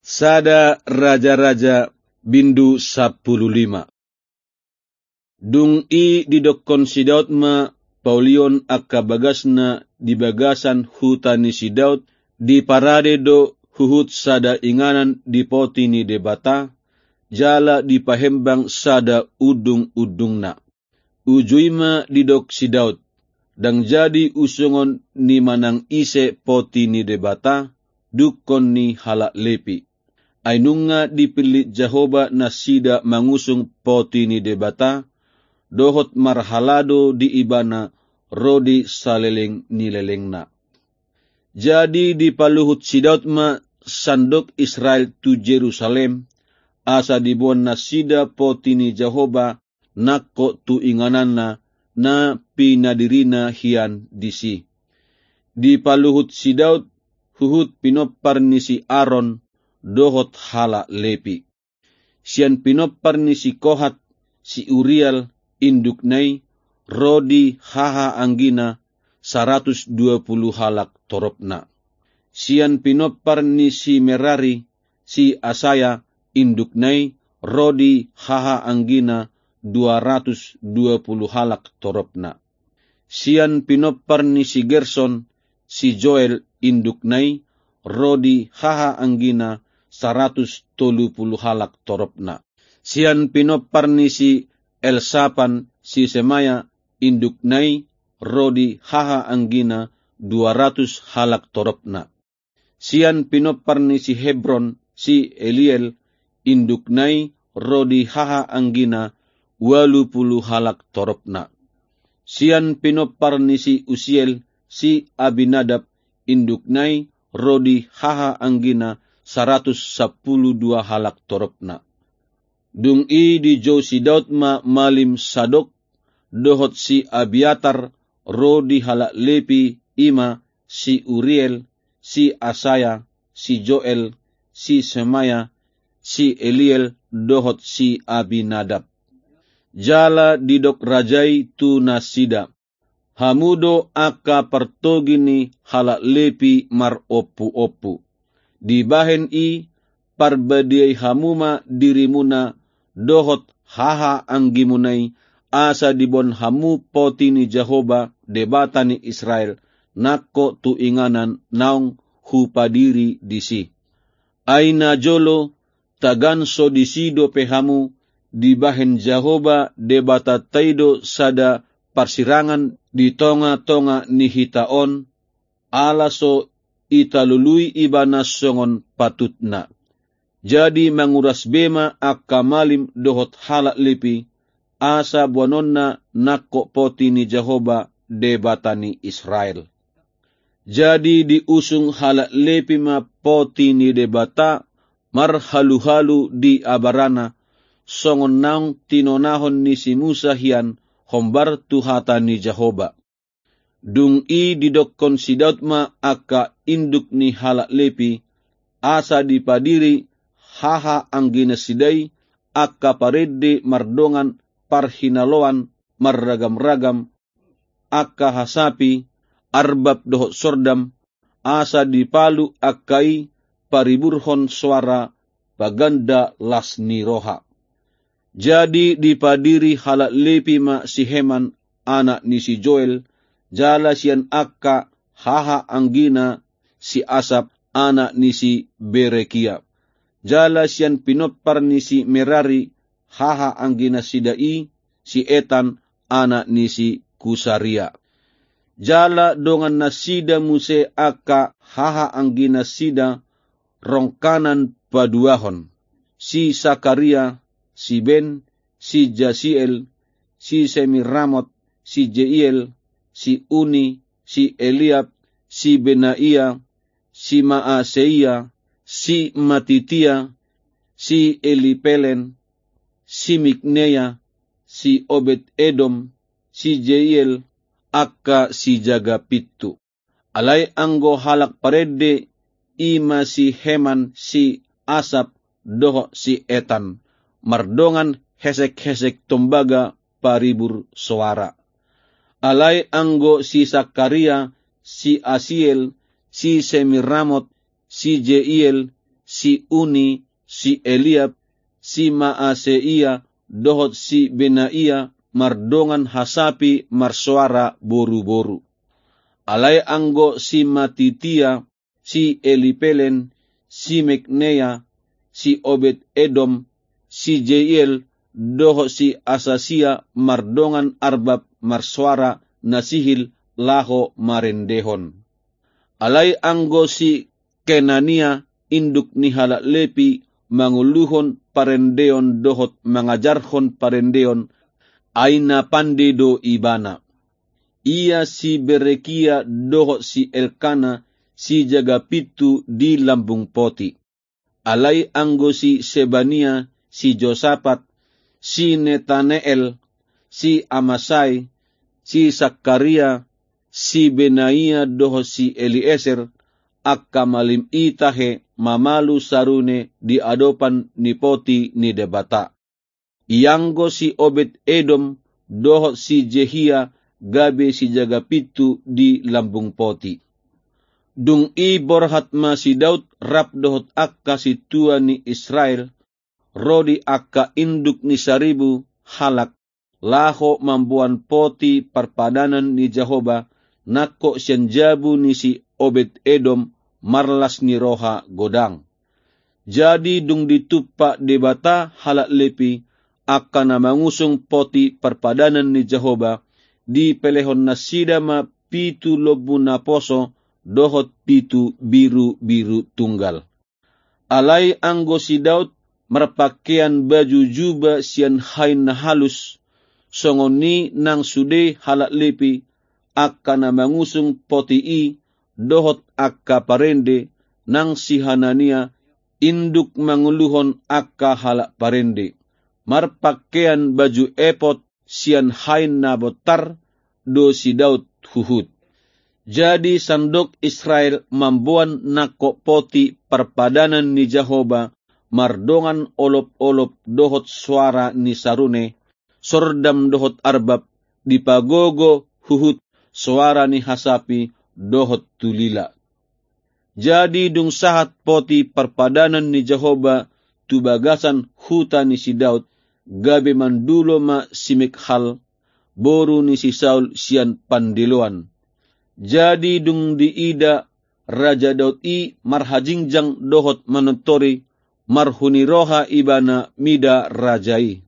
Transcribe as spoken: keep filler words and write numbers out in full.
Sada Raja-raja bindu sampulu lima. Dung i didokkon si Daud ma paulion angka bagasna di bagasan huta ni si Daud, diparade do huhut sada inganan di poti ni Debata, jala dipahembang sada undung-undungna. Uju i ma didok si Daud, ndang jadi usungon ni manang ise poti ni Debata, dungkon ni halak Lepi. Ai nunga dipillit Jahowa nasida mangusung poti ni Debata, dohot marhalado di Ibana ro di saleleng ni lelengna. Jadi dipaluhut si Daud ma sandok Israel tu Jerusalem, asa diboan nasida poti ni Jahowa nangkok tu ingananna na pinadirina hian disi. Dipaluhut si Daud huhut pinompar ni si Aron dohot halak Lepi. Sian pinompar ni si Kohat, si Uriel, indukna i, ro di hahaanggina, saratus dua pulu halak toropna. Sian pinompar ni si Merari, si Asaya, indukna i, ro di hahaanggina, dua ratus dua pulu halak toropna. Sian pinompar ni si Gerson, si Joel, indukna i, ro di hahaanggina, saratus tolu pulu halak toropna. Sian pinompar ni si Elsapan, si Semaya, indukna i, ro di hahaanggina, dua ratus halak toropna. Sian pinompar ni si Hebron, si Eliel, indukna i, ro di hahaanggina, ualu pulu halak toropna. Sian pinompar ni si Usiel, si Abinadab, indukna i, ro di hahaanggina, saratus sampulu dua halak toropna. Dung i dijou si Daud ma malim Sadok, dohot si Abiatar, ro di halak Lepi, i ma si Uriel, si Asaya, si Joel, si Semaya, si Eliel, dohot si Abinadab. Jala didok raja i tu nasida, hamu do angka partogi ni halak Lepi marompuompu. Dibahen i, parbadiai hamu ma dirimuna dohot hahaanggimuna i, asa diboan hamu poti ni Jahowa, Debata ni Israel, nangkok tu inganan naung hupadiri disi. Ai najolo, tagan so disi dope hamu, dibahen Jahowa Debatanta i do sada parsirangan di tongatonga ni hita on, ala so italului Ibana songon patutna. Jadi manguras be ma angka malim dohot halak Lepi, asa boanonna nangkok poti ni Jahowa, Debata ni Israel. Jadi diusung halak Lepi ma poti ni Debata marhaluhalu di abarana, songon naung tinonahon ni si Musa hian hombar tu hata ni Jahowa. Dung i didokkon si Daud ma angka induk ni halak Lepi, asa dipadiri hahaangginasida i angka parende mardongan parhinaloan marragamragam, angka hasapi, arbab dohot sordam, asa dipalu angka i pariburhon soara paganda las ni roha. Jadi dipadiri halak Lepi ma si Heman, anak ni si Joel, jala sian angka hahaanggina si Asap, anak ni si Berekia. Jala sian pinompar ni si Merari, hahaangginasida i, si Etan, anak ni si Kusaria. Jala dongannasida muse angka hahaangginasida rongkanan paduahon, si Sakaria, si Ben, si Jasiel, si Semiramot, si Jeiel, si Uni, si Eliab, si Benaia, si Maaseia, si Matitia, si Elipelen, si Mikneia, si Obed Edom, si Jeiel, angka sijaga pintu. Alai anggo halak parende, i ma si Heman, si Asap, dohot si Etan, mardongan hesekhesek tombaga paribur soara. Alai anggo si Sakaria, si Asiel, si Semiramot, si Jeiel, si Uni, si Eliab, si Maaseia, dohot si Benaia, mardongan hasapi marsoara boruboru. Alai anggo si Matitia, si Elipelen, si Mikneia, si Obed Edom, si Jeiel, dohot si Asasia mardongan arbab marsoara na sihil laho marendehon. Alai anggo si Kenania, induk ni halak Lepi, manguluhon parendeon dohot mangajarhon parendeon, ai na pande do ibana. Ia si Berekia dohot si Elkana, sijaga pintu di lambung poti. Alai anggo si Sebania, si Josapat, si Netaneel, si Amasai, si Sakaria, si Benaia dohot si Elieser, angka malim i tahe mamalu sarune di adopan ni poti ni Debata. Ianggo si Obed Edom dohot si Jehia gabe sijaga pintu di lambung poti. Dung i borhat ma si Daud rap dohot angka sintua ni Israel, ro di angka induk ni saribu halak, laho mamboan poti parpadanan ni Jahowa, nangkok sian jabu ni si Obed Edom, marlas ni roha godang. Jadi dung ditumpak Debata halak Lepi, angka na mangusung poti parpadanan ni Jahowa, dipelehon nasida ma pitu lombu naposo dohot pitu birubiru tunggal. Alai anggo si Daud marpangkean baju juba sian hain na halus, songon i nang sude halak Lepi, angka na mangusung poti i, dohot angka parende, nang si Hanania, induk manguluhon angka halak parende, marpangkean baju epod sian hain na bontar do si Daud huhut. Jadi sandok Israel mamboan nangkok poti parpadanan ni Jahowa, mardongan olopolop dohot soara ni sarune, sordam dohot arbab, dipagogo huhut soara ni hasapi dohot tulila. Jadi dung sahat poti parpadanan ni Jahowa tu bagasan huta ni si Daud, gabe mandulo ma si Mikhal, boru ni si Saul sian pandiloan. Jadi dung diida Raja Daud i marhajingjang dohot manortori, marhuni roha ibana mida raja i.